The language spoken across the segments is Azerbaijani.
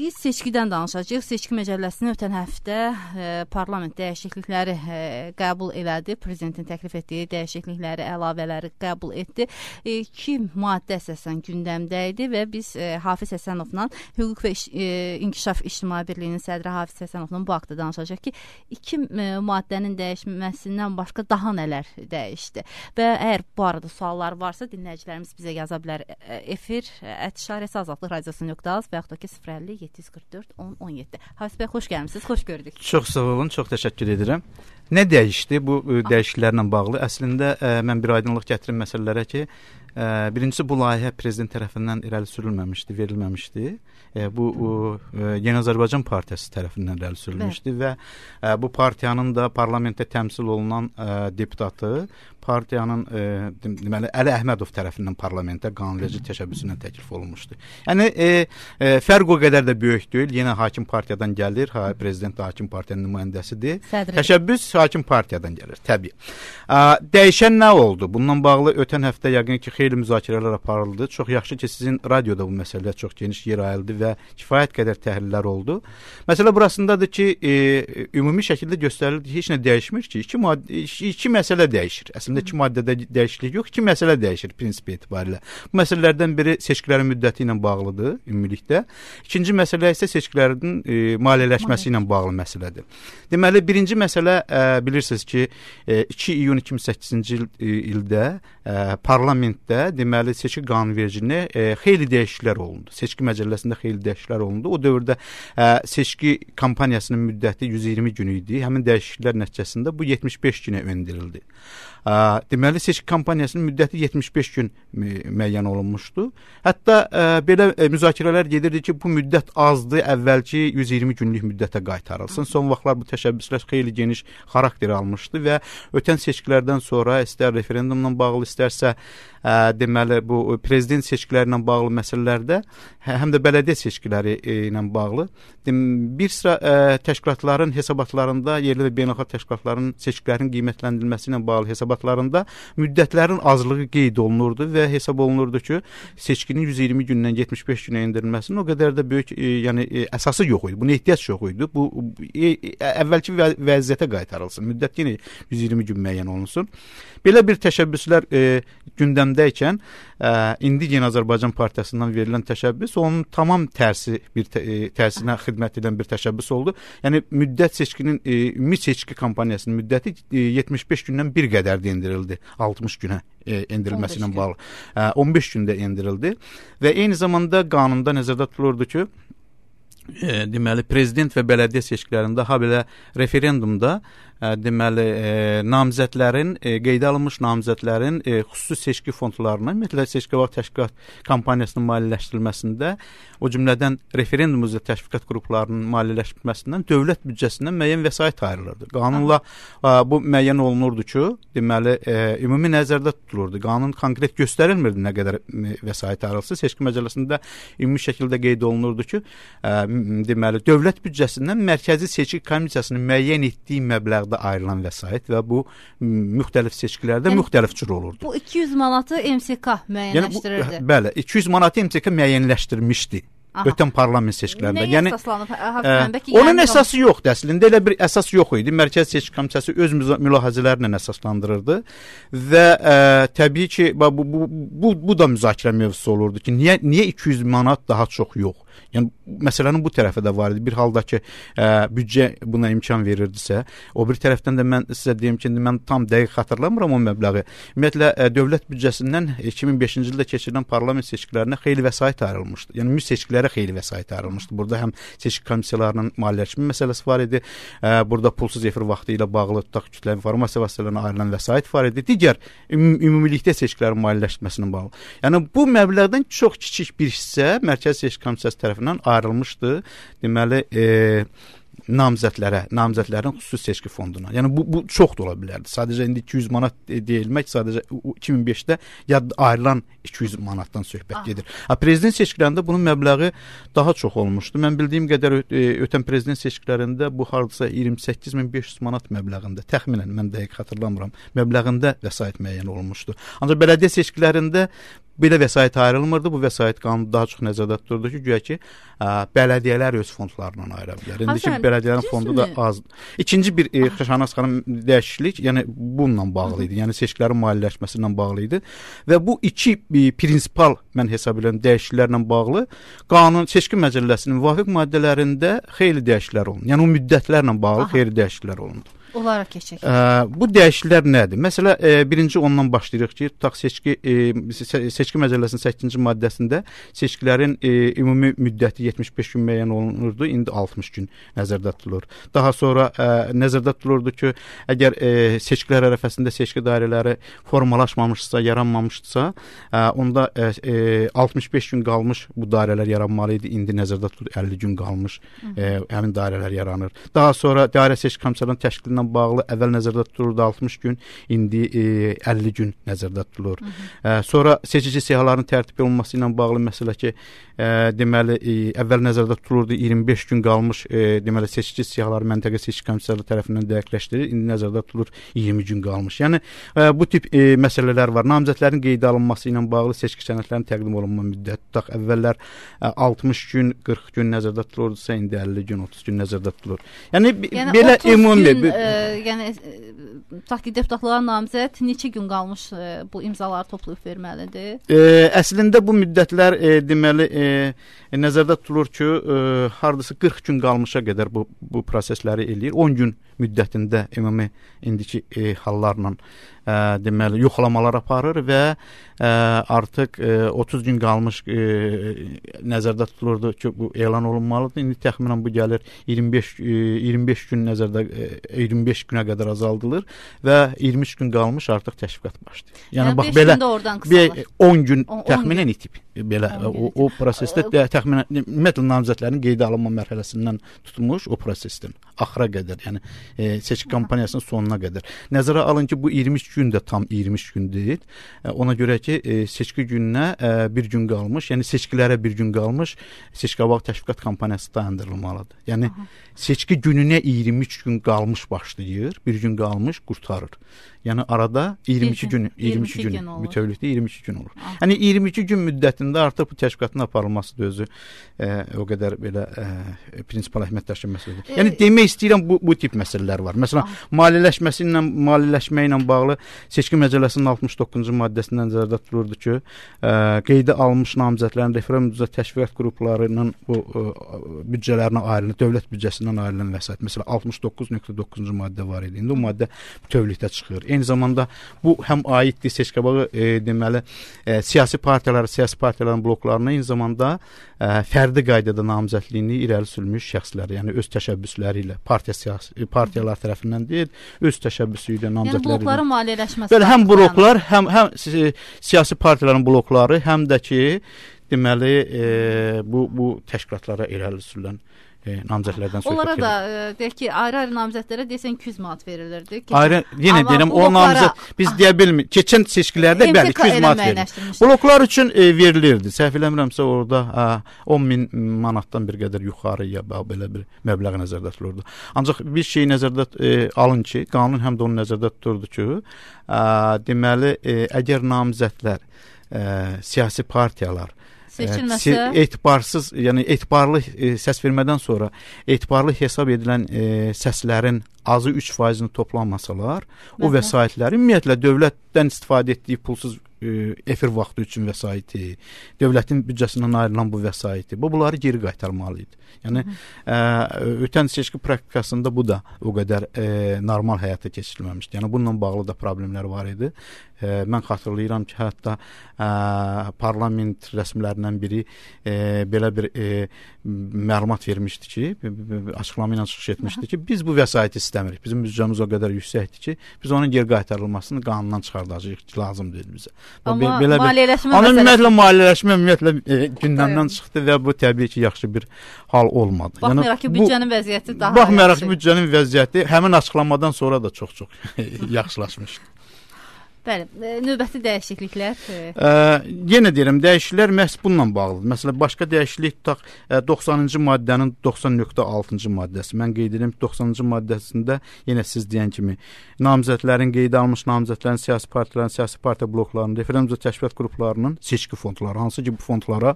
Biz seçkidən danışacağıq. Seçki məcəlləsini ötən həftə parlament dəyişiklikləri qəbul elədi. Prezidentin təklif etdiyi dəyişiklikləri, əlavələri qəbul etdi. 2 maddə əsasən gündəmdə idi və biz Hafiz Həsənovla Hüquq və İnkişaf İctimai Birliyinin sədri Hafiz Həsənovla bu haqda danışacaq ki, 2 maddənin dəyişməsindən başqa daha nələr dəyişdi. Və əgər bu arada suallar varsa, dinləyicilərimiz bizə yaza bilər. Efir @azadlıq radiosu.az və yaxud da ki 050 744 1017. Hafiz bəy, xoş gəlmisiniz, xoş gördük. Çox sağ olun, çox təşəkkür edirəm. Nə dəyişdi bu dəyişikliklərlə bağlı? Əslində mən bir aydınlıq gətirim məsələlərə ki, birincisi bu layihə prezident tərəfindən irəli sürülməmişdi, verilməmişdi. Bu Yeni Azərbaycan Partiyası tərəfindən irəli sürülmüşdü və bu partiyanın da parlamentdə təmsil olunan deputatı partiyanın deməli Əli Əhmədov tərəfindən parlamentə qanunverici təşəbbüsündən təklif olunmuşdu. Yəni fərq o qədər də böyük deyil. Yenə hakim partiyadan gəlir, prezident də hakim partiyanın nümayəndəsidir. Təşəbbüs hakim partiyadan gəlir, təbii. Dəyişən nə oldu? Bununla bağlı ötən həftə yəqin ki xeyli müzakirələr aparıldı. Çox yaxşı ki sizin radioda bu məsələyə çox geniş yer ayıldı və kifayət qədər təhlillər oldu. Məsələ burasındadır ki, ümumi şəkildə göstərildi ki, heç nə dəyişmir ki, iki məsələ dəyişir. Əslində 2 maddədə dəyişiklik yox, 2 məsələ dəyişir prinsip etibarilə. Bu məsələlərdən biri seçkilərin müddəti ilə bağlıdır ümumilikdə. İkinci məsələ isə seçkilərin maliyyələşməsi ilə bağlı məsələdir. Deməli, birinci məsələ bilirsiniz ki, 2 iyun 2008-ci ildə parlamentdə deməli seçki qanunvericiliyinə xeyli dəyişikliklər olundu. Seçki məcəlləsində xeyli dəyişikliklər olundu. O dövrdə seçki kampaniyasının müddəti 120 gün idi. Həmin dəyişikliklər nəticəsində bu 75 günə endirildi. Deməli, seçki kampaniyasının müddəti 75 gün müəyyən olunmuşdu. Hətta belə müzakirələr gedirdi ki, bu müddət azdır, əvvəlki 120 günlük müddətə qaytarılsın. Son vaxtlar bu təşəbbüslər xeyli geniş xarakter almışdı və ötən seçkilərdən sonra istər referendumla bağlı, istərsə deməli bu prezident seçkiləri ilə bağlı məsələlərdə, həm də bələdiyyə seçkiləri ilə bağlı bir sıra təşkilatların hesabatlarında, yerli və beynəlxalq təşkilatların seçkilərin qiymətləndirilməsi ilə bağlı hesabatlarında müddətlərin azlığı qeyd olunurdu və hesab olunurdu ki, seçkinin 120 gündən 75 günə endirilməsinin o qədər də böyük yəni əsası yox idi. Buna ehtiyac yox idi. Bu əvvəlki vəziyyətə qaytarılsın. Müddət yenə 120 gün müəyyən olunsun. Belə bir təşəbbüslər gündəmdəykən indi Yeni Azərbaycan Partiyasından verilən təşəbbüs onun tamam tərsinə xidmət edən bir təşəbbüs oldu. Yəni müddət seçkinin ümumi seçki kampaniyasının müddəti 75 gündən bir qədər də endirildi. 60 günə endirilməsi ilə bağlı. 15 gündə endirildi və eyni zamanda qanunda nəzərdə tutulurdu ki, deməli prezident və bələdiyyə seçkilərində habelə referendumda deməli namizədlərin qeydə alınmış namizədlərin xüsusi seçki fondlarına, ümumiyyətlə seçki vaxt təşkilat kampaniyasının maliyyələşdirilməsində, o cümlədən referendum üzrə təşviqat qruplarının maliyyələşdirilməsindən dövlət büdcəsindən müəyyən vəsait ayrılırdı. Qanunla bu müəyyən olunurdu ki, deməli ümumi nəzərdə tutulurdu. Qanun konkret göstərilmirdi nə qədər vəsait ayrılsa. Seçki məcəlləsində ümumi şəkildə qeyd olunurdu ki, deməli dövlət büdcəsindən mərkəzi seçki komissiyasının müəyyən etdiyi məbləğdə ayrılan vəsait və bu müxtəlif seçkilərdə müxtəlif cür olurdu. Bu 200 manatı MSK müəyyənləşdirirdi. Yəni, bəli, 200 manatı MSK müəyyənləşdirmişdi. Ötən parlament seçkilərində. Yəni onun əsası yoxdur əslində. Elə bir əsas yox idi. Mərkəzi Seçki Komissiyası öz mülahizələrlə əsaslandırırdı və təbii ki, bu da müzakirə mövzusu olurdu ki, niyə 200 manat daha çox yox? Yəni məsələnin bu tərəfi də var idi. Bir halda ki, büdcə buna imkan verirdisə, o bir tərəfdən də mən sizə deyim ki, mən tam dəqiq xatırlamıram o məbləği. Ümumiyyətlə dövlət büdcəsindən 2005-ci ildə keçirilən parlament seçkilərinə xeyli vəsait ayrılmışdı. Yəni ümumi seçkilərə xeyli vəsait ayrılmışdı. Burada həm seçki komissiyalarının maliyyələşmə məsələsi var idi. Burada pulsuz efir vaxtı ilə bağlı tutaq kütləvi informasiya vasitələrinə ayrılan vəsait var idi. Digər ümumilikdə seçkilərin maliyyələşməsinə bağlı. Yəni bu məbləğdən çox kiçik bir hissə Mərkəzi Seçki Komissiyası tərəfindən ayrılmışdı. Deməli, namizədlərin xüsusi seçki fonduna. Yəni bu çox da ola bilərdi. Sadəcə indi 200 manat deyilmək, sadəcə 2005-də ayrılan 200 manatdan söhbət gedir. Prezident seçkilərində bunun məbləği daha çox olmuşdu. Mən bildiyim qədər ötən prezident seçkilərində bu hardasa 28.500 manat məbləğində, təxminən mən dəqiq xatırlamıram, məbləğində vəsait müəyyən olunmuşdu. Ancaq bələdiyyə seçkilərində belə vəsait ayrılmırdı. Bu vəsait qanunu daha çox nəzərdə tuturdu ki, güya ki, bələdiyyələr öz fondlarından ayıra bilər. İndiki bələdiyyələrin fondu da azdır. İkinci bir Xaşanaz xanım dəyişiklik, yəni bununla bağlı idi. Yəni seçkilərin maliyyələşməsi ilə bağlı idi və bu iki prinsipal mən hesab edirəm dəyişikliklərlə bağlı qanun seçki məcəlləsinin müvafiq maddələrində xeyli dəyişikliklər olundu. Yəni o müddətlərlə bağlı xeyli dəyişikliklər olundu. Onlara keçək. Bu dəyişikliklər nədir? Məsələ, birinci ondan başlayırıq ki, tutaq seçki məcəlləsinin 8-ci maddəsində seçkilərin ümumi müddəti 75 gün müəyyən olunurdu, indi 60 gün nəzərdə tutulur. Daha sonra nəzərdə tutulurdu ki, əgər seçkilər ərəfəsində seçki dairələri formalaşmamışsa, yaranmamışsa, onda 65 gün qalmış bu dairələr yaranmalı idi, indi nəzərdə tutulur 50 gün qalmış həmin dairələr yaranır. Daha sonra dairə seçki komissiyasının təşkilinə bağlı əvvəl nəzərdə tutulurdu 60 gün, indi 50 gün nəzərdə tutulur. Sonra seçici siyahıların tərtib olunması ilə bağlı məsələ ki, deməli əvvəl nəzərdə tutulurdu 25 gün qalmış, deməli seçici siyahıları məntəqə seçki komissiyası tərəfindən dəqiqləşdirilir, indi nəzərdə tutulur 20 gün qalmış. Yəni bu tip məsələlər var. Namizədlərin qeydə alınması ilə bağlı seçki sənədlərinin təqdim olunma müddəti tutaq əvvəllər 60 gün, 40 gün nəzərdə tutulurdusa, indi 50 gün, 30 gün nəzərdə tutulur. Yəni belə ümumi yəni tutaq ki, deputatlığa namizəd neçə gün qalmış bu imzaları toplayıb verməlidir? Əslində bu müddətlər deməli nəzərdə tutulur ki, hardasa 40 gün qalmışa qədər bu prosesləri eləyir. 10 gün müddətində ümumi indiki hallarla deməli yoxlamalar aparır və artıq 30 gün qalmış nəzərdə tutulurdu ki, bu elan olunmalıdır. İndi təxminən bu gəlir 25 gün nəzərdə 25 günə qədər azaldılır və 23 gün qalmış artıq təşviqat başlayır. Yəni bax belə 10 gün təxminən itib. Belə o prosesdə təxminən ümumiyyətlə namizədlərin qeydə alınma mərhələsindən tutulmuş o prosesdən axıra qədər, yəni seçki kampaniyasının sonuna qədər. Nəzərə alın ki, bu 23 gün də tam 23 gün deyil. Ona görə ki, seçki gününə bir gün qalmış, yəni seçkilərə bir gün qalmış, seçki-qabaq təşviqat kampaniyası dayandırılmalıdır. Yəni seçki gününə 23 gün qalmış başlayır, bir gün qalmış qurtarır. Yəni arada 22 gün bütövlükdə 22 gün olur. Yəni 22 gün müddətində artıq bu təşkilatın aparılması da özü o qədər belə prinsipal əhəmiyyət daşıyan məsələdir. Yəni demək istəyirəm bu tip məsələlər var. Məsələn, maliyyələşmə ilə bağlı seçki məcəlləsinin 69-cu maddəsində nəzərdə tutulurdu ki, qeydə alınmış namizədlərin referendum təşviqat qruplarının bu büdcələrinə ayrılır, dövlət büdcəsindən ayrılan vəsait. Məsələn, 69.9-cu maddə var idi. İndi o maddə bütövlükdə çıxır. Eyni zamanda bu həm aiddir seçki-qabağı deməli siyasi partiyaların bloklarına, eyni zamanda fərdi qaydada namizədliyini irəli sürmüş şəxslər, yəni öz təşəbbüsləri ilə partiyalar tərəfindən deyil, öz təşəbbüsü ilə namizədləri. Yəni blokların maliyyələşməsi. Belə həm bloklar, həm siyasi partiyaların blokları, həm də ki deməli bu təşkilatlara irəli sürülən namizədlərdən söhbət onlara da deyək ki, ayrı-ayrı namizədlərə desən 200 manat verilirdi. Yenə deyirəm, o namizəd biz deyə bilmirik. Keçən seçkilərdə bəli 200 manat verilir. Bloklar üçün verilirdi. Səhv eləmirəmsə orada 10.000 manatdan bir qədər yuxarıya belə bir məbləğ nəzərdə tutulurdu. Ancaq bir şey nəzərdə alın ki, qanun həm də onu nəzərdə tuturdu ki, deməli əgər namizədlər siyasi partiyalar etibarsız, yəni etibarlı səs vermədən sonra etibarlı hesab edilən səslərin azı 3%-ni toplanmasalar, o vəsaitləri ümumiyyətlə dövlətdən istifadə etdiyi pulsuz efir vaxtı üçün vəsaiti, dövlətin büdcəsindən ayrılan bu vəsaiti, bunları geri qaytarmalı idi. Yəni ötən seçki praktikasında bu da o qədər normal həyata keçirilməmişdi. Yəni bununla bağlı da problemlər var idi. Mən xatırlayıram ki, hətta parlament rəsmilərindən biri belə bir məlumat vermişdi ki, açıqlama ilə çıxış etmişdi ki, biz bu vəsaiti istəmirik. Bizim büdcəmiz o qədər yüksəkdir ki, biz onun geri qaytarılmasını qanundan çıxardacağıq ki, lazım deyil bizə. Amma maliyyələşmə ümumiyyətlə maliyyələşmə gündəmdən çıxdı və bu təbii ki, yaxşı bir hal olmadı. Baxmayaraq ki, büdcənin vəziyyəti daha Baxmayaraq ki, büdcənin vəziyyəti həmin açıqlamadan sonra da çox-çox yaxşılaşmışdı. Bəli, növbəti dəyişikliklər. Yenə deyirəm, dəyişikliklər məhz bununla bağlıdır. Məsələn, başqa dəyişiklik tutaq 90-cı maddənin 90.6-cı maddəsi. Mən qeyd edirəm ki, 90-cı maddəsində yenə siz deyən kimi namizədlərin qeydə alınmış namizədlərin siyasi partiyaların, siyasi partiya bloklarının, referendum təşkilat qruplarının seçki fondları, hansı ki bu fondlara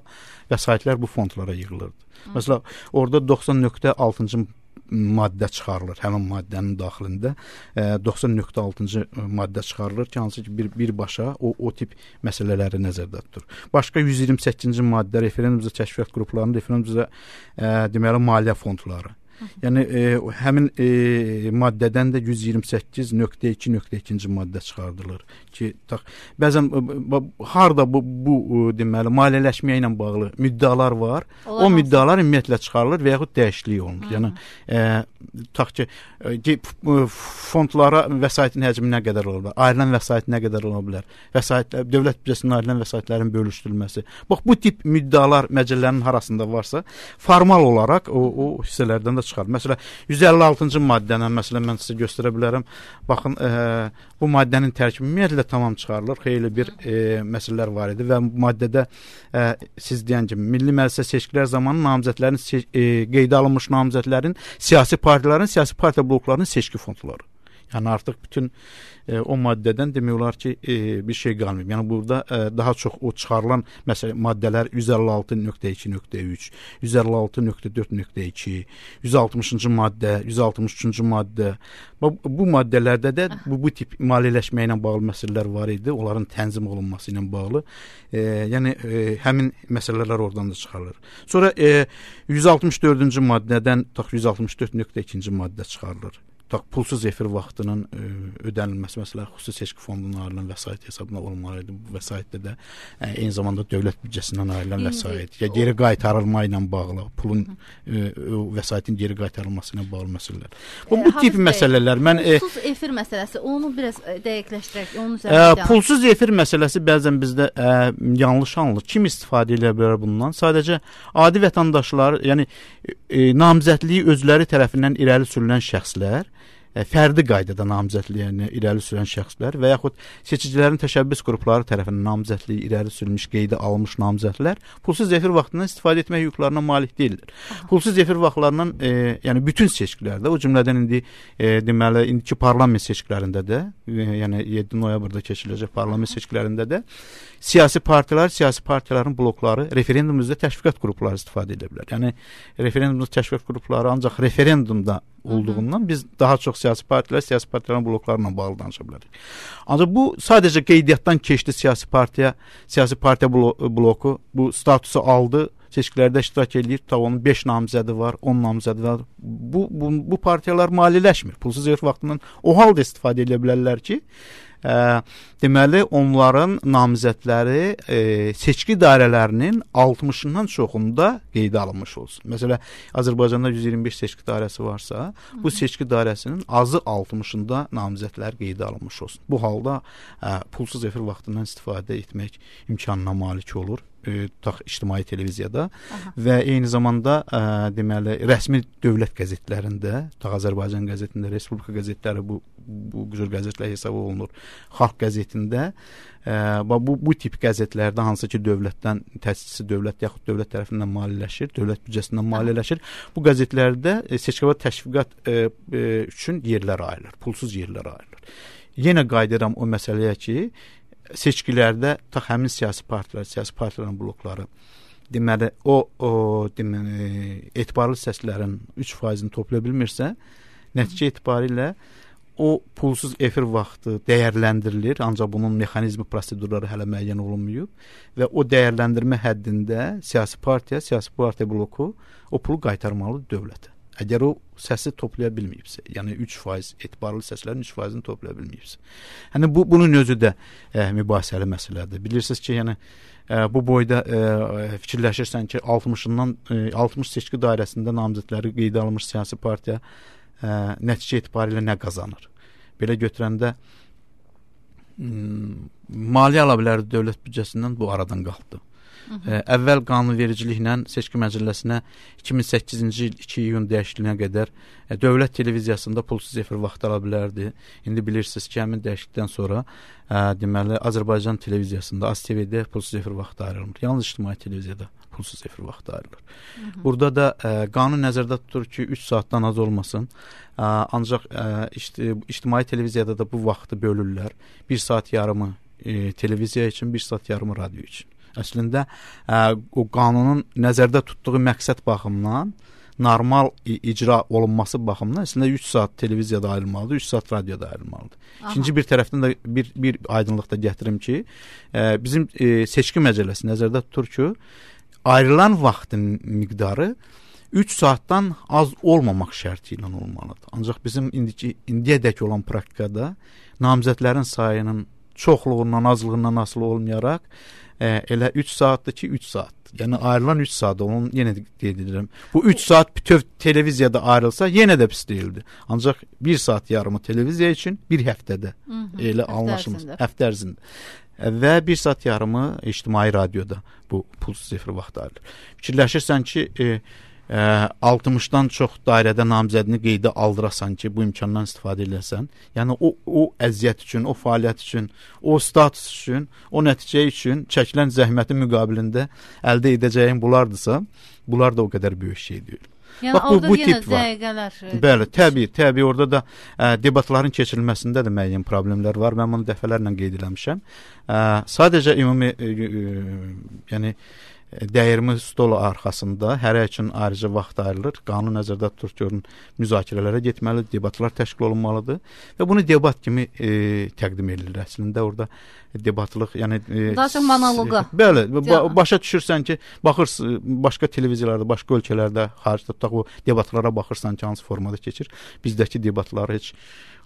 vəsaitlər bu fondlara yığılırdı. Məsələn, orada 90.6-cı maddə çıxarılır. Həmin maddənin daxilində 90.6-cı maddə çıxarılır ki, hansı ki birbaşa o tip məsələləri nəzərdə tutur. Başqa 128-ci maddə referendum təşkilat qruplarının referendum deməli maliyyə fondları. Yəni həmin maddədən də 128.2.2-ci maddə çıxardılır ki, bəzən harda bu deməli maliyyələşməyə ilə bağlı müddəalar var. O müddəalar ümumiyyətlə çıxarılır və yaxud dəyişiklik olunur. Yəni tutaq ki, fondlara vəsaitin həcmi nə qədər ola bilər, ayrılan vəsait nə qədər ola bilər, vəsaitlər, dövlət büdcəsindən ayrılan vəsaitlərin bölüşdürülməsi. Bax, bu tip müddəalar məcəllənin arasında varsa, formal olaraq o hissələrdən də çıxar. Məsələn, 156-cı maddədən məsələn mən sizə göstərə bilərəm. Baxın, bu maddənin tərkibi ümumiyyətlə tamam çıxarılır. Xeyli bir məsələlər var idi və maddədə siz deyən kimi milli məclisə seçkilər zamanı namizədlərin qeydə alınmış namizədlərin siyasi partiyaların, siyasi partiya bloklarının seçki fondları. Yəni artıq bütün o maddədən demək olar ki, bir şey qalmayıb. Yəni burada daha çox o çıxarılan məsələn maddələr 156.2.3, 156.4.2, 160-cı maddə, 163-cü maddə. Bu maddələrdə də bu tip maliyyələşmə ilə bağlı məsələlər var idi. Onların tənzim olunması ilə bağlı. Yəni həmin məsələlər oradan da çıxarılır. Sonra 164-cü maddədən 164.2-ci maddə çıxarılır. Pulsuz efir vaxtının ödənilməsi, məsələn, xüsusi seçki fondunun ayrılan vəsait hesabına olmalı idi. Bu vəsaitdə də eyni zamanda dövlət büdcəsindən ayrılan vəsait, ya geri qaytarılma ilə bağlı, pulun vəsaitin geri qaytarılması ilə bağlı məsələlər. Bu tip məsələlər. Mən pulsuz efir məsələsi, onu biraz dəqiqləşdirək, onun üzərində. Pulsuz efir məsələsi bəzən bizdə yanlış anılır. Kim istifadə edə bilər bundan? Sadəcə adi vətəndaşlar, yəni namizədliyi özləri tərəfindən irəli sürülən şəxslər, fərdi qaydada namizədliyini irəli sürən şəxslər və yaxud seçicilərin təşəbbüs qrupları tərəfindən namizədliyi irəli sürülmüş, qeydə alınmış namizədlər pulsuz efir vaxtından istifadə etmək hüquqlarına malik deyildir. Pulsuz efir vaxtlarından yəni bütün seçkilərdə, o cümlədən indi deməli indiki parlament seçkilərində də, yəni 7 noyabrda keçiriləcək parlament seçkilərində də siyasi partiyalar, siyasi partiyaların blokları referendumda təşviqat qrupları istifadə edə bilər. Yəni referendumda təşviqat qrupları ancaq referendumda olduğundan biz daha çox siyasi partiylər, siyasi partiyaların bloklarla bağlı danışa bilərik. Ancaq bu sadəcə qeydiyyatdan keçdi siyasi partiya bloku bu statusu aldı, seçkilərdə iştirak edir, onun 5 namizədi var, 10 namizədi var. Bu partiyalar maliyyələşmir. Pulsuz efir vaxtından o halda istifadə edə bilərlər ki, deməli onların namizədləri seçki dairələrinin 60-dan çoxunda qeydə alınmış olsun. Məsələn, Azərbaycanda 125 seçki dairəsi varsa, bu seçki dairəsinin azı 60-da namizədlər qeydə alınmış olsun. Bu halda pulsuz efir vaxtından istifadə etmək imkanına malik olur. İctimai televiziyada və eyni zamanda deməli rəsmi dövlət qəzetlərində, Azərbaycan qəzetində, Respublika qəzetləri bu cür qəzetlər hesab olunur. Xalq qəzetində bu tip qəzetlərdə hansı ki dövlətdən təsisçi dövlət yaxud dövlət tərəfindən maliyyələşir, dövlət büdcəsindən maliyyələşir. Bu qəzetlərdə seçki və təşviqat üçün yerlər ayrılır, pulsuz yerlər ayrılır. Yenə qayıdıram o məsələyə ki, seçkilərdə həmin siyasi partiyaların blokları deməli deməli etibarlı səslərin 3%-ni toplaya bilmirsə, nəticə etibarilə o pulsuz efir vaxtı dəyərləndirilir, ancaq bunun mexanizmi, prosedurları hələ müəyyən olunmayıb və o dəyərləndirmə həddində siyasi partiya bloku o pulu qaytarmalıdır dövlətə. Əgər o səsi toplaya bilməyibsə, yəni 3%, etibarlı səslərin 3%-ni toplaya bilməyibsə. Yəni bunun özü də mübahisəli məsələdir. Bilirsiniz ki, yəni bu boyda fikirləşirsən ki, 60 seçki dairəsində namizədləri qeydə alınmış siyasi partiya nəticə etibarilə nə qazanır? Belə götürəndə maliyyə ala bilərdi dövlət büdcəsindən, bu aradan qalxdı. Əvvəl qanunvericiliklə seçki məcəlləsinə 2008-ci il 2 iyun dəyişikliyinə qədər dövlət televiziyasında pulsuz efir vaxtı ala bilərdi. İndi bilirsiniz ki, həmin dəyişiklikdən sonra deməli Azərbaycan televiziyasında AzTV-də pulsuz efir vaxtı ayrılmır. Yalnız ictimai televiziyada pulsuz efir vaxtı ayrılır. Burada da qanun nəzərdə tutur ki, 3 saatdan az olmasın. Ancaq ictimai televiziyada da bu vaxtı bölürlər. 1 saat yarımı televiziya üçün, 1 saat yarımı radio üçün. Əslində o qanunun nəzərdə tutduğu məqsəd baxımından, normal icra olunması baxımından əslində 3 saat televiziyada ayrılmalıdır, 3 saat radioda ayrılmalıdır. İkinci bir tərəfdən də bir aydınlıq da gətirim ki, bizim seçki məcəlləsi nəzərdə tutur ki, ayrılan vaxtın miqdarı 3 saatdan az olmamaq şərti ilə olmalıdır. Ancaq bizim indiyədək olan praktikada namizədlərin sayının çoxluğundan, azlığından asılı olmayaraq elə 3 saatdır ki, 3 saat. Yəni ayrılan 3 saat onun yenə də qeyd edirəm. Bu 3 saat bütöv televiziyada ayrılsa yenə də pis deyildi. Ancaq 1 saat yarımı televiziya üçün bir həftədə elə anlaşılmaz. Həftə ərzində. Və 1 saat yarımı ictimai radioda bu pulsuz efir vaxtı ayrılır. Fikirləşirsən ki, 60-dan çox dairədə namizədini qeydə aldırasan ki, bu imkandan istifadə edəsən. Yəni o əziyyət üçün, o fəaliyyət üçün, o status üçün, o nəticə üçün çəkilən zəhmətin müqabilində əldə edəcəyin bunlardırsa, bunlar da o qədər böyük şey deyil. Yəni bax, orada yenə dəqiqələr. Bəli, təbii orada da debatların keçirilməsində də müəyyən problemlər var. Mən bunu dəfələrlə qeyd eləmişəm. Sadəcə ümumi yəni dəyirmi stolu arxasında hərə üçün ayrıca vaxt ayrılır. Qanun nəzərdə tutur ki, müzakirələrə getməlidir, debatlar təşkil olunmalıdır və bunu debat kimi təqdim edilir. Əslində orada debatlıq, yəni daha çox monoloqa. Bəli, başa düşürsən ki, baxırsın başqa televiziyalarda, başqa ölkələrdə, xaricdə tutaq o debatlara baxırsan ki, hansı formada keçir. Bizdəki debatlar heç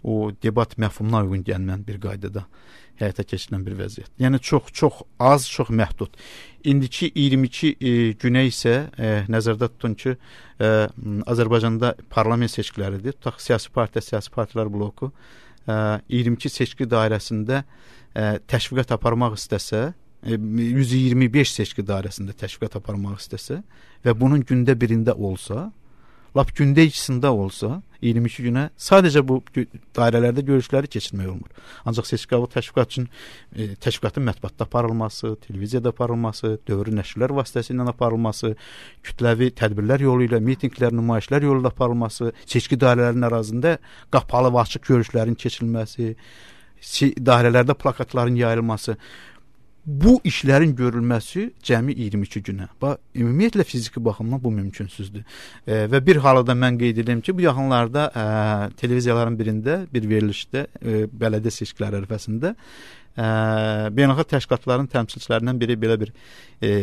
o debat məfhumuna uyğun gəlməyən bir qaydada həyata keçirilən bir vəziyyət. Yəni çox az, çox məhdud. İndiki 22 günə isə nəzərdə tutun ki, Azərbaycanda parlament seçkiləridir. Tutaq siyasi partilər bloku 22 seçki dairəsində təşviqat aparmaq istəsə, 125 seçki dairəsində təşviqat aparmaq istəsə və bunun gündə birində olsa, lap gündə ikisində olsa, 22 günə sadəcə bu dairələrdə görüşləri keçirmək olmur. Ancaq seçki təşviqat üçün təşviqatın mətbuatda aparılması, televiziyada aparılması, dövrü nəşrlər vasitəsilə aparılması, kütləvi tədbirlər yolu ilə, mitinqlər, nümayişlər yolu ilə aparılması, seçki dairələrinin ərazində qapalı və açıq görüşlərin keçirilməsi, dairələrdə plakatların yayılması, bu işlərin görülməsi cəmi 22 günə. Ümumiyyətlə fiziki baxımdan bu mümkünsüzdür. Və bir halda mən qeyd edirəm ki, bu yaxınlarda televiziyaların birində, bir verilişdə, bələdiyyə seçkiləri ərəfəsində beynəlxalq təşkilatların təmsilçilərindən biri belə bir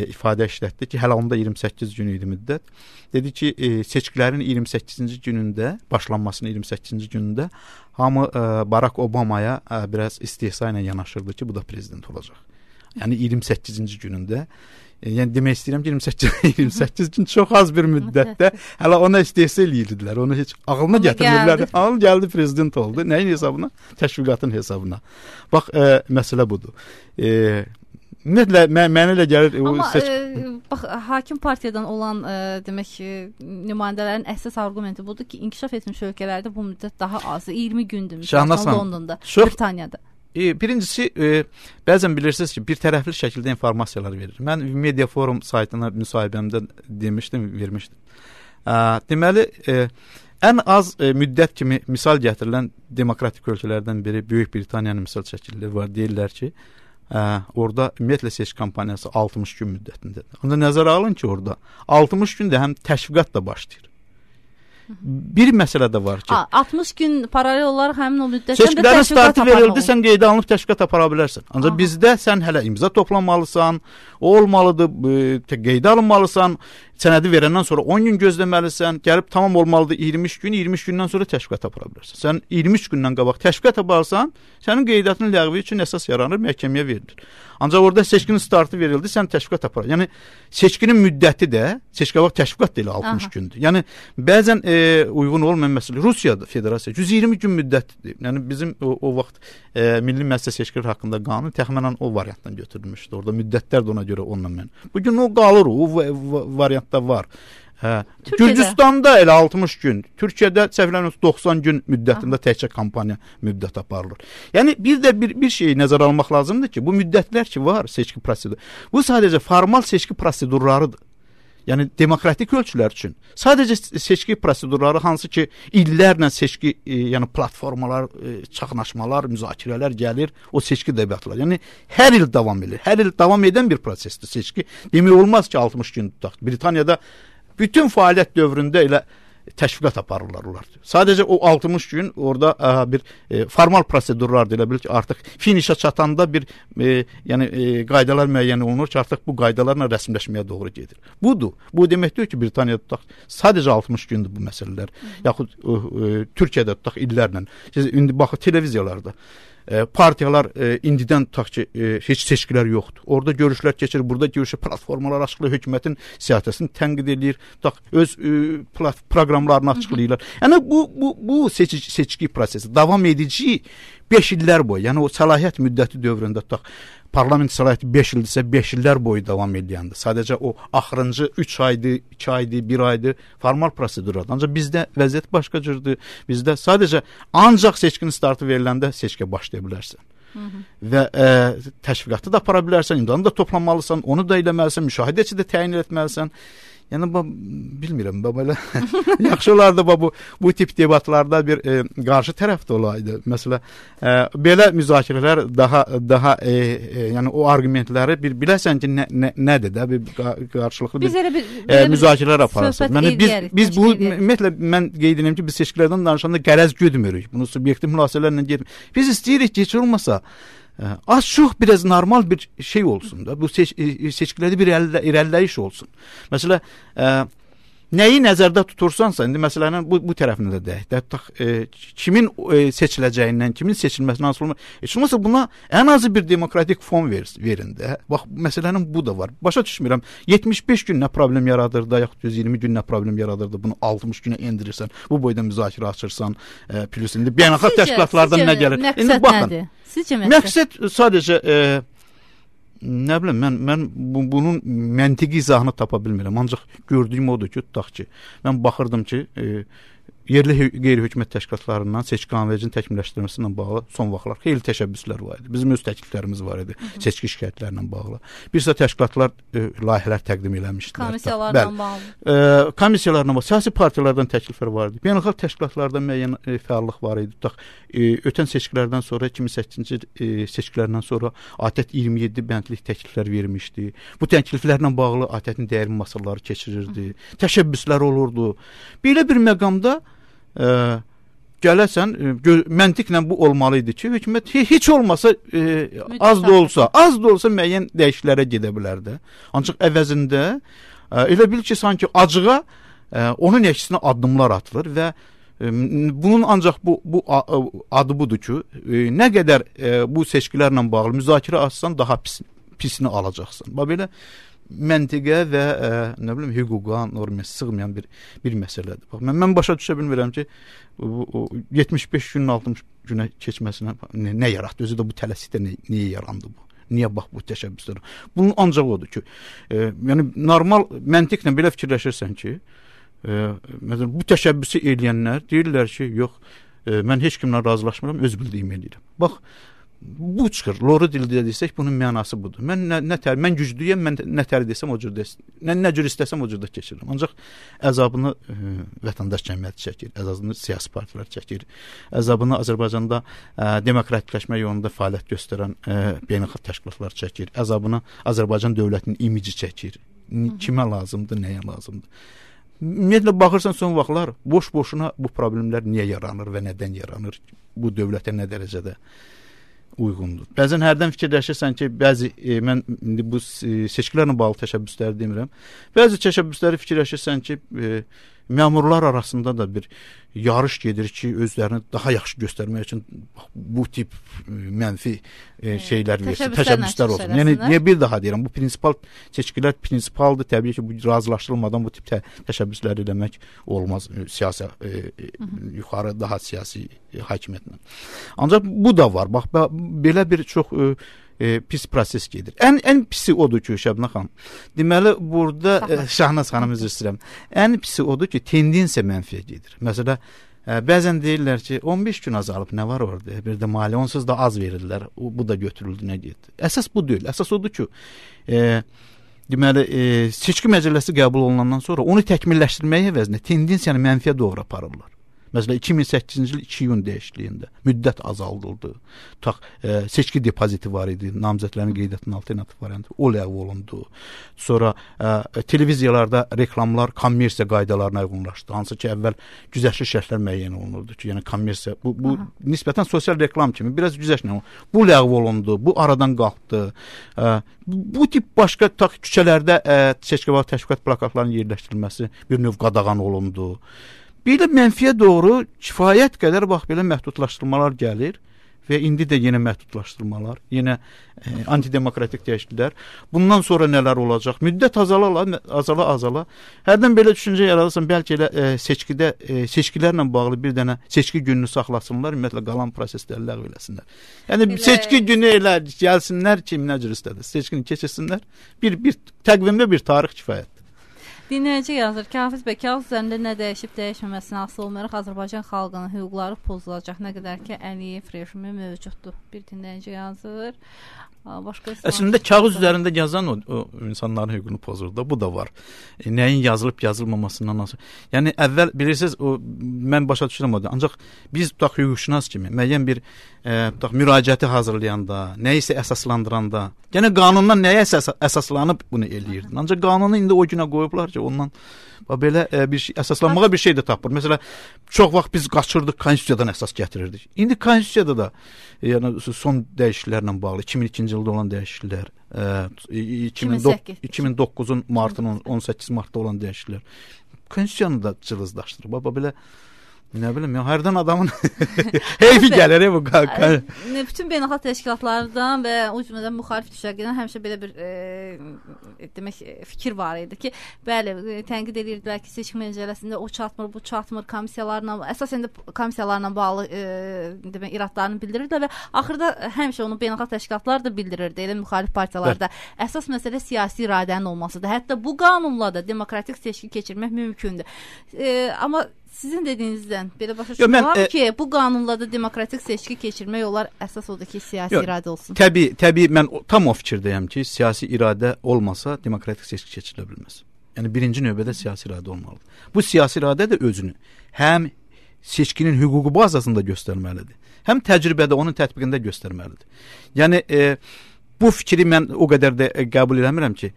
ifadə işlətdi ki, hələ onda 28 gün idi müddət. Dedi ki, seçkilərin 28-ci günündə, başlanmasının 28-ci günündə hamı Barack Obamaya biraz istehza ilə yanaşırdı ki, bu da prezident olacaq. Yəni 28-ci günündə, yəni demək istəyirəm ki, 28 gün çox az bir müddətdə hələ ona istehza eləyirdilər. Onu heç ağlına gətirmirlər. Ağıl gəldi, prezident oldu. Nəyin hesabına? Təşviqatın hesabına. Bax, məsələ budur. Ümumiyyətlə, mənə elə gəlir... Amma, bax, hakim partiyadan olan, demək ki, nümayəndələrin əsas argumenti budur ki, inkişaf etmiş ölkələrdə bu müddət daha azdır. 20 gündür, məsələn, Londonda, Britaniyada. Birincisi, bəzən bilirsiniz ki, bir tərəfli şəkildə informasiyalar verir. Mən Media Forum saytına müsahibəmdə vermişdim. Deməli, ən az müddət kimi misal gətirilən demokratik ölkələrdən biri Böyük Britaniyanın misal çəkililir. Deyirlər ki, orada ümumiyyətlə seçki kampaniyası 60 gün müddətindədir. Ancaq nəzərə alın ki, orada 60 gündə həm təşviqat da başlayır. Bir məsələ də var ki, 60 gün paralel olaraq həmin o müddətdə seçkilərin startı verildi, sən qeydə alınıb təşviqat apara bilərsən. Ancaq bizdə sən hələ imza toplamalısan, o olmalıdır, qeydə alınmalısan, sənədi verəndən sonra 10 gün gözləməlisən, gəlib tamam olmalıdır 23 gün, 23 gündən sonra təşviqat apara bilərsən. Sən 23 gündən qabaq təşviqat aparsan, sənin qeydiyyatının ləğvi üçün əsas yaranır, məhkəməyə verilir. Ancaq orada seçkinin startı verildi, sən təşviqat apara. Yəni seçkinin müddəti də, seçki qabaq təşviqat da elə 60 gündür. Yəni bəzən uyğun olmayan məsələ Rusiyadır, Federasiya 120 gün müddətdir. Yəni bizim o vaxt Milli Məclis Seçkiləri haqqında qanun təxminən o variantdan götürülmüşdü. Orada müddətlər də ona görə onunla mən. Bu gün o qalır, o variantda var. Gürcüstanda elə 60 gün, Türkiyədə səhv 90 gün müddətində təkcə kampaniya müddət aparılır. Yəni bir şeyi nəzərə almaq lazımdır ki, bu müddətlər ki var seçki proseduru, bu sadəcə formal seçki prosedurlarıdır. Yəni demokratik ölçülər üçün sadəcə seçki prosedurları hansı ki illərlə seçki yəni platformalar, çaxnaşmalar, müzakirələr gəlir, o seçki debatlar. Yəni hər il davam edir. Hər il davam edən bir prosesdir seçki. Demək olmaz ki 60 gün tutaq. Britaniyada bütün fəaliyyət dövründə elə təşviqat aparırlar onlar. Sadəcə o 60 gün orada bir formal prosedurlar deyilə bilir ki, artıq finişə çatanda bir yəni qaydalar müəyyən olunur ki, artıq bu qaydalarla rəsmiləşməyə doğru gedir. Budur. Bu deməkdir ki, Britaniyada tutaq sadəcə 60 gündür bu məsələlər. Yaxud Türkiyədə tutaq illərlə. Siz indi baxın televiziyalarda partiyalar indidən tutaq ki, heç seçkilər yoxdur. Orada görüşlər keçir, burada görüşlər, platformalar açıqlayır, hökumətin siyasətini tənqid edir, tutaq öz proqramlarını açıqlayırlar. Yəni bu seçki prosesi davam edici 5 illər boyu, yəni o səlahiyyət müddəti dövründə tutaq parlament səlahiyyəti 5 ildirsə 5 illər boyu davam edəndə. Sadəcə o axırıncı 3 aydır, 2 aydır, 1 aydır formal prosedurlar. Ancaq bizdə vəziyyət başqa cürdür. Bizdə sadəcə ancaq seçkinin startı veriləndə seçkiyə başlaya bilərsən. Və təşviqatı da apara bilərsən, imzanı da toplamalısan, onu da eləməlisən, müşahidəçi də təyin etməlisən. Yəni bilmirəm, belə yaxşı olardı bu tip debatlarda bir qarşı tərəf də olaydı. Məsələn, belə müzakirələr daha yəni o arqumentləri biləsən ki, nədir də bir qarşılıqlı bir müzakirələr aparırsınız. Yəni biz bu ümumiyyətlə mən qeyd edirəm ki, biz seçkilərdən danışanda qərəz güdmürük. Bunu subyektiv mülasirələrlə getmir. Biz istəyirik ki, heç olmasa az çox biraz normal bir şey olsun da. Bu seçkilərdə bir irəliləyiş olsun. Məsələn, nəyi nəzərdə tutursansa, indi məsələnin bu tərəfində də deyək. Kimin seçiləcəyindən, kimin seçilməsindən asılı olmaz. Heç olmasa buna ən azı bir demokratik fon verin də. Bax, məsələnin bu da var. Başa düşmürəm. 75 gün nə problem yaradır da, yaxud 120 gün nə problem yaradır da, bunu 60 günə endirirsən, bu boyda müzakirə açırsan, plus indi beynəlxalq təşkilatlardan nə gəlir? İndi baxın. Sizcə məqsəd sadəcə nə bilim, mən bunun məntiqi izahını tapa bilmirəm. Ancaq gördüyüm odur ki, tutaq ki, mən baxırdım ki, yerli qeyri-hökumət təşkilatlarından seçki qanunvericinin təkmilləşdirilməsi ilə bağlı son vaxtlar xeyli təşəbbüslər var idi. Bizim öz təkliflərimiz var idi seçki şikayətlərlə bağlı. Bir sıra təşkilatlar layihələr təqdim eləmişdilər. Komissiyalarla bağlı. Komissiyalarla bağlı. Siyasi partiyalardan təkliflər var idi. Beynəlxalq təşkilatlarda müəyyən fəallıq var idi. Tutaq, ötən seçkilərdən sonra 2008-ci seçkilərdən sonra ATƏT 27 bəndlik təkliflər vermişdi. Bu təkliflərlə bağlı ATƏT-in dəyərli masalları keçirirdi. Təşəbbüslər olurdu. Belə bir məqamda gələsən, məntiqlə bu olmalı idi ki, hökumət heç olmasa az da olsa müəyyən dəyişikliklərə gedə bilərdi. Ancaq əvəzində elə bil ki, sanki acığa onun əksinə addımlar atılır və bunun ancaq bu adı budur ki, nə qədər bu seçkilərlə bağlı müzakirə açsan daha pisini alacaqsan. Belə məntiqə və nə bilim hüquqa, normaya sığmayan bir məsələdir. Bax, mən başa düşə bilmirəm ki, 75 günün 60 günə keçməsinə nə yaratdı? Özü də bu tələsikdə niyə yarandı bu? Niyə bax bu təşəbbüslər? Bunun ancaq odur ki, yəni normal məntiqlə belə fikirləşirsən ki, məsələn bu təşəbbüsü eləyənlər deyirlər ki, yox, mən heç kimlə razılaşmıram, öz bildiyimi eləyirəm. Bax, bu çıxır. Loru dildə desək bunun mənası budur. Mən güclüyəm, mən nə tər desəm o cür desin. Nə cür istəsəm o cürdə keçirirəm. Ancaq əzabını vətəndaş cəmiyyəti çəkir, əzabını siyasi partilər çəkir, əzabını Azərbaycanda demokratikləşmə yolunda fəaliyyət göstərən beynəlxalq təşkilatlar çəkir, əzabını Azərbaycan dövlətinin imici çəkir. Kimə lazımdır, nəyə lazımdır? Ümumiyyətlə baxırsan son vaxtlar boş-boşuna bu problemlər niyə yaranır və nədən yaranır? Bu dövlətə nə dərəcədə uyğundur. Bəzən hərdən fikirləşirsən ki, mən indi bu seçkilərlə bağlı təşəbbüsləri demirəm. Bəzi təşəbbüsləri fikirləşirsən ki, məmurlar arasında da bir yarış gedir ki, özlərini daha yaxşı göstərmək üçün bu tip mənfi şeylər versin, təşəbbüslər olsun. Yəni niyə bir daha deyirəm, bu prinsipal seçkilər prinsipaldır. Təbii ki, bu razılaşdırılmadan bu tip təşəbbüslər eləmək olmaz siyasi yuxarı daha siyasi hakimiyyətlə. Ancaq bu da var. Bax belə bir çox pis proses gedir. Ən pisi odur ki, Şəbnə xanım. Deməli burada Şahnaz xanım üzr istəyirəm. Ən pisi odur ki, tendensiya mənfiyə gedir. Məsələn, bəzən deyirlər ki, 15 gün azalıb nə var orada? Bir də maliyyə onsuz da az verirlər. Bu da götürüldü, nə getdi? Əsas bu deyil. Əsas odur ki, deməli seçki məcəlləsi qəbul olunandan sonra onu təkmilləşdirməyə əvəzinə tendensiyanı mənfiyə doğru aparırlar. Məsələn 2008-ci il 2 iyun dəyişikliyində müddət azaldıldı. Seçki depoziti var idi, namizədlərin qeydiyyatının alternativ variantı o ləğv olundu. Sonra televiziyalarda reklamlar kommersiya qaydalarına uyğunlaşdı. Hansı ki, əvvəl güzəştli şərtlər müəyyən olunurdu ki, yəni kommersiya bu nisbətən sosial reklam kimi biraz güzəştli. Bu ləğv olundu, bu aradan qalxdı. Bu tip başqa küçələrdə seçki vaxtı təşviqat plakatlarının yerləşdirilməsi bir növ qadağan olundu. Bir də mənfiyə doğru kifayət qədər bax belə məhdudlaşdırmalar gəlir və indi də yenə məhdudlaşdırmalar, yenə antidemokratik dəyişikliklər. Bundan sonra nələr olacaq? Müddət azala. Hərdən belə düşüncə yaradırsan, bəlkə elə seçkilərlə bağlı bir dənə seçki gününü saxlasınlar, ümumiyyətlə qalan prosesləri ləğv eləsinlər. Yəni seçki günü elə gəlsinlər, kim nə cür istədir, seçkini keçirsinlər. Bir təqvimdə bir tarix kifayət. Dinləyici yazır ki, Hafiz bəy, kağız üzərində nə dəyişib dəyişməməsindən asılı olmayaraq Azərbaycan xalqının hüquqları pozulacaq, nə qədər ki, Əliyev rejimi mövcuddur. Bir dinləyici yazır. Əslində kağız üzərində yazan o insanların hüququnu pozur da, bu da var. Nəyin yazılıb yazılmamasından asılı. Yəni əvvəl bilirsiniz, mən başa düşürəm o da. Ancaq biz tutaq hüquqşünas kimi müəyyən bir müraciəti hazırlayanda, nə isə əsaslandıranda, yəni qanundan nəyə əsaslanıb bunu eləyirdin. Ancaq qanunu indi o günə qoyublar ki, ondan belə bir şey, əsaslanmağa bir şey də tapır. Məsələn, çox vaxt biz qaçırdıq, konstitusiyadan əsas gətirirdik. İndi konstitusiyada da yəni son dəyişikliklərlə bağlı 2002-ci ildə olan dəyişikliklər, 2009-un martının 18 martda olan dəyişikliklər konstitusiyanı da cılızlaşdırır. Belə nə bilim, hərdən adamın heyfi gəlir bu. Bütün beynəlxalq təşkilatlardan və o cümlədən müxalif düşərgədən həmişə belə bir demək fikir var idi ki, bəli, tənqid edirdilər ki, seçki məcəlləsində o çatmır, bu çatmır, komissiyalarla, əsasən də komissiyalarla bağlı demək iradlarını bildirirdilər və axırda həmişə onu beynəlxalq təşkilatlar da bildirirdi, elə müxalif partiyalarda. Əsas məsələ siyasi iradənin olmasıdır. Hətta bu qanunla da demokratik seçki keçirmək mümkündür. Amma sizin dediyinizdən belə başa düşürəm ki, bu qanunla da demokratik seçki keçirmək olar, əsas odur ki, siyasi iradə olsun. Təbii, mən tam o fikirdəyəm ki, siyasi iradə olmasa demokratik seçki keçirilə bilməz. Yəni birinci növbədə siyasi iradə olmalıdır. Bu siyasi iradə də özünü həm seçkinin hüququ bazasında göstərməlidir, həm təcrübədə onun tətbiqində göstərməlidir. Yəni bu fikri mən o qədər də qəbul eləmirəm ki,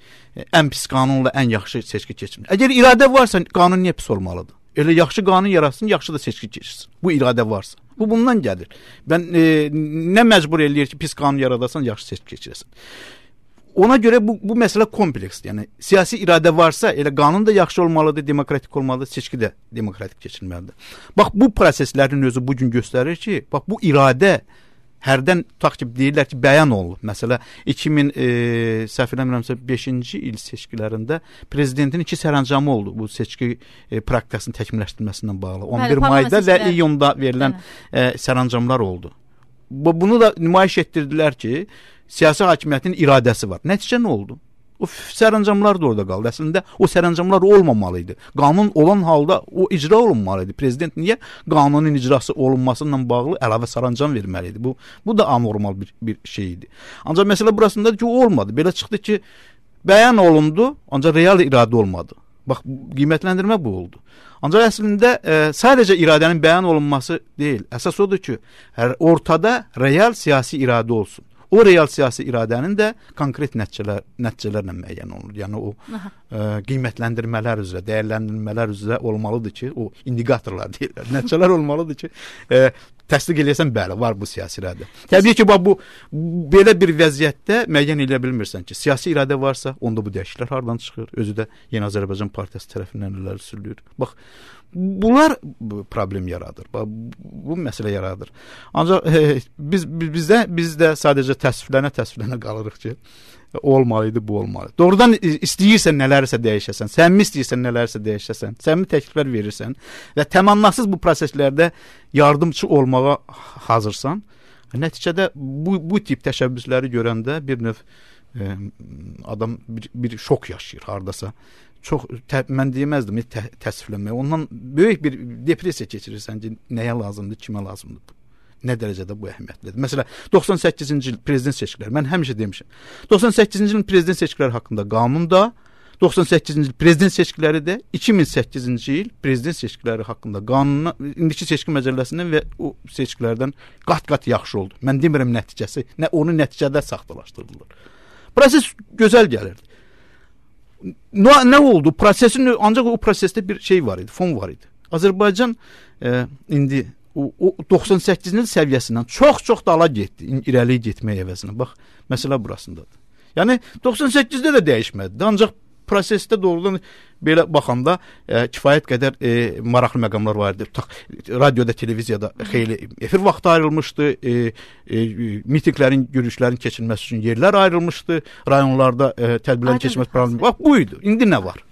ən pis qanunla ən yaxşı seçki keçirmək. Əgər iradə varsa, qanun niyə pis olmalıdır? Elə yaxşı qanun yaratsın, yaxşı da seçki keçirsin. Bu iradə varsa. Bu bundan gəlir. Nə məcbur eləyir ki, pis qanun yaradasan, yaxşı seçki keçirəsən. Ona görə bu məsələ kompleksdir. Yəni siyasi iradə varsa, elə qanun da yaxşı olmalıdır, demokratik olmalıdır, seçki də demokratik keçirilməlidir. Bax bu proseslərin özü bu gün göstərir ki, bax bu iradə hərdən tutaq ki, deyirlər ki, bəyan olunub. Məsələn, 2005-ci il seçkilərində prezidentin 2 sərəncamı oldu bu seçki praktikasının təkmilləşdirilməsindən bağlı. 11 mayda və iyunda verilən sərəncamlar oldu. Bunu da nümayiş etdirdilər ki, siyasi hakimiyyətin iradəsi var. Nəticə nə oldu? O sərəncamlar da orada qaldı. Əslində o sərəncamlar olmamalı idi. Qanun olan halda o icra olunmalı idi. Prezident niyə qanunun icrası olunmasıyla bağlı əlavə sərəncam verməli idi? Bu da anormal bir şey idi. Ancaq məsələ burasındadır ki, o olmadı. Belə çıxdı ki, bəyan olundu, ancaq real iradə olmadı. Bax, qiymətləndirmə bu oldu. Ancaq əslində sadəcə iradənin bəyan olunması deyil. Əsas odur ki, ortada real siyasi iradə olsun. O real siyasi iradənin də konkret nəticələrlə müəyyən olunur. Yəni o qiymətləndirmələr üzrə, dəyərləndirmələr üzrə olmalıdır ki, o indikatorlar deyirlər. Nəticələr olmalıdır ki, təsdiq eləyəsən, bəli, var bu siyasi iradə. Təbii ki, bu belə bir vəziyyətdə müəyyən edə bilmirsən ki, siyasi iradə varsa, onda bu dəyişikliklər hardan çıxır? Özü də Yeni Azərbaycan Partiyası tərəfindən irəli sürülür. Bax, bunlar problem yaradır. Bax, bu məsələ yaradır. Ancaq biz də sadəcə təsvirlənə qalırıq ki, olmalıydı, bu olmalı. Doğrudan istəyirsən nələrsə dəyişəsən, səmimi istəyirsən nələrsə dəyişəsən, səmimi təkliflər verirsən və təmənnasız bu proseslərdə yardımçı olmağa hazırsan, nəticədə bu tip təşəbbüsləri görəndə bir növ adam bir şok yaşayır hardasa. Çox mən deməzdim təsvirlənmək. Ondan böyük bir depressiya keçirirsən ki, nəyə lazımdır, kimə lazımdır. Nə dərəcədə bu əhəmiyyətlidir. Məsələn, 98-ci il prezident seçkiləri, mən həmişə demişəm, 98-ci ilin prezident seçkiləri haqqında qanunda, 98-ci il prezident seçkiləri də 2008-ci il prezident seçkiləri haqqında qanuna, indiki seçki məcəlləsindən və o seçkilərdən qat-qat yaxşı oldu. Mən demirəm nəticəsi, onu nəticədə saxtalaşdırılır. Proses gözəl gəlirdi. Nə oldu? Ancaq o prosesdə bir şey var idi, fon var idi. Azərbaycan indi o 98-ci il səviyyəsindən çox dala getdi, irəli getmək əvəzinə. Bax, məsələ burasındadır. Yəni 98-də də dəyişmədi. Ancaq prosesdə doğrudan belə baxanda kifayət qədər maraqlı məqamlar var idi. Radioda, televiziyada xeyli efir vaxtı ayrılmışdı. Mitinqlərin, görüşlərin keçirilməsi üçün yerlər ayrılmışdı. Rayonlarda tədbirlərin keçirilməsi problemi. Bax, bu idi. İndi nə var?